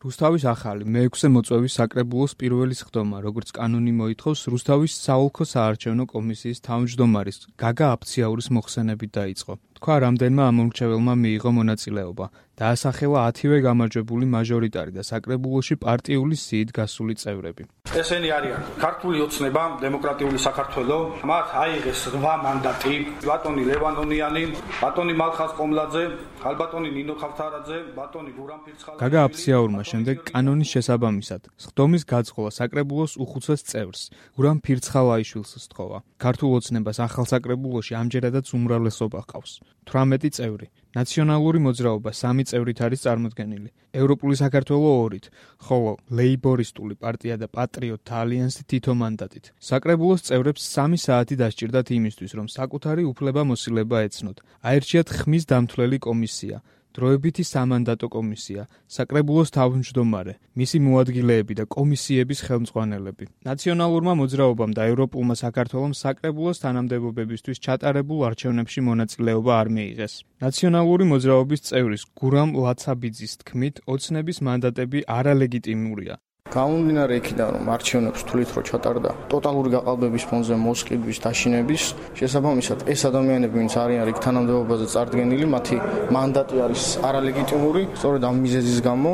რუსთავის ახალი მე-6 მოწვევის საკრებულოს პირველი სხდომა, როგორც კანონი მოითხოვს, რუსთავის საოლქო საარჩევნო კომისიის თავმჯდომარის გაგა აფციაურის მოხსენებით დაიწყო. თქვა, რამდენმა ამომრჩეველმა მიიღო მონაწილეობა. დაასახელა 10-ვე გამარჯვებული მაჟორიტარი და საკრებულოში პარტიული სიით გასული წევრები. ესენი არიან ქართული ოცნება, დემოკრატიული საქართველო, მათ აიღეს 8 მანდატი, ბატონი ლევან ონიანი, ბატონი მალხაზ ყომლაძე, ხალბატონი ნინო ხავთარაძე, ბატონი გურამ ფირცხალა. გაგა აფციაურმა შემდეგ კანონის შესაბამისად სხდომის გაწყობა საკრებულოს უხუცეს წევრს, გურამ ფირცხალაიშვილს სთხოვა. ქართულ ოცნებას ახალ საკრებულოში ამჯერადაც უმრავლესობა ჰყავს. 18 წევრი. ნაციონალური მოძრაობა 3 წევრით არის წარმოდგენილი. ევროპული საქართველო 2-ით, ხოლო ლეიბორისტული პარტია და პატრიოტთა ალიანსი თითო მანდატით. საკრებულოს წევრებს 3 საათი დასჭირდათ იმისთვის, რომ საკუთარი უფლება-მოსილება ეცნოთ. აერჩიათ ხმის დამთვლელი კომისია, დროებითი სამანდატო კომისია, საკრებულოს თავმჯდომარე, მისი მოადგილეები და კომისიების ხელმძღვანელები. ნაციონალურმა მოძრაობამ და ევროპულმა საქართველომ საკრებულოს თანამდებობებისთვის ჩატარებულ არჩევნებში მონაწილეობა არ მიიღეს. ნაციონალური მოძრაობის წევრის გურამ ლაცაბიძის თქმით, ოცნების მანდატები არალეგიტიმურია. გამომდინარე იქიდან, რომ არჩევნებს თulit რო ჩატარდა ტოტალური გაყალბების ფონზე მოსყიდვის, დაშინების, შესაბამისად ეს ადამიანები, ვინც არიან იქ თანამდებობაზე წარდგენილი, მათი მანდატი არის არალეგიტიმური. სწორედ ამ მიზეზის გამო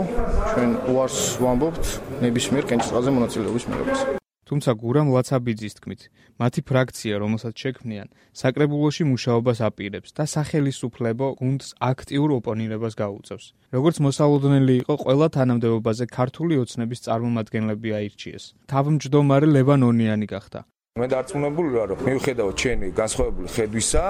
ჩვენ უარს ვამბობთ ნებისმიერ კენჭისყრაზე მონაწილეობის მიღებას. თუმცა გურამ ლაცაბიძის თქმით, მათი ფრაქცია, რომელსაც შექმნიან, საკრებულოში მუშაობას აპირებს და სახელისუფლებო გუნდს აქტიურ ოპონირებას გაუწევს. როგორც მოსალოდნელი იყო, ყველა თანამდებობაზე ქართული ოცნების წარმომადგენლები აირჩიეს. თავმჯდომარე ლევან ონიანი გახდა. მე დარწმუნებული ვარ, რომ მიუხედავად ჩვენი განსხვავებული ხედვისა,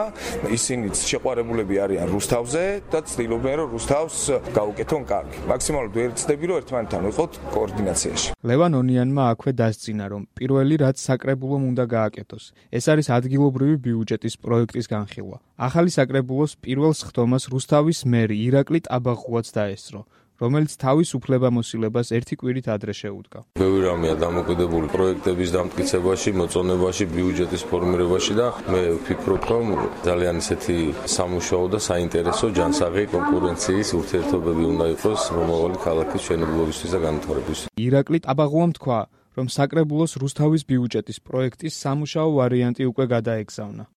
ისინიც შეყვარებულები არიან რუსთავზე და ცდილობენ, რომ რუსთავს გაუკეთონ კარგი. მაქსიმალურად ვერ ცდები, რომ ერთმანეთთან ვიყოთ კოორდინაციაში. ლევან ონიანმა აქვე დასძინა, რომ პირველი რაც საკრებულომ უნდა გააკეთოს, ეს არის ადგილობრივი ბიუჯეტის პროექტის განხილვა. ახალი საკრებულოს პირველ სხდომას რუსთავის მერი ირაკლი ტაბაღუაც დაესწრო, რომელიც თავის უფლება-მოსილებას ერთი კვირით ადრე შეუდგა. ბევრი რამეა დამოკიდებული პროექტების დამტკიცებაში, მოწონებაში, ბიუჯეტის ფორმირებაში და მე ვფიქრობ, რომ ძალიან ისეთი სამუშაო და საინტერესო ჯანსაღი კონკურენციის ურთიერთობები უნდა იყოს მომავალი ქალაქის მშენებლობისთვის და განვითარებისთვის. ირაკლი ტაბაღუამ თქვა, რომ საკრებულოს რუსთავის ბიუჯეტის პროექტის სამუშაო ვარიანტი უკვე გადაეგზავნა.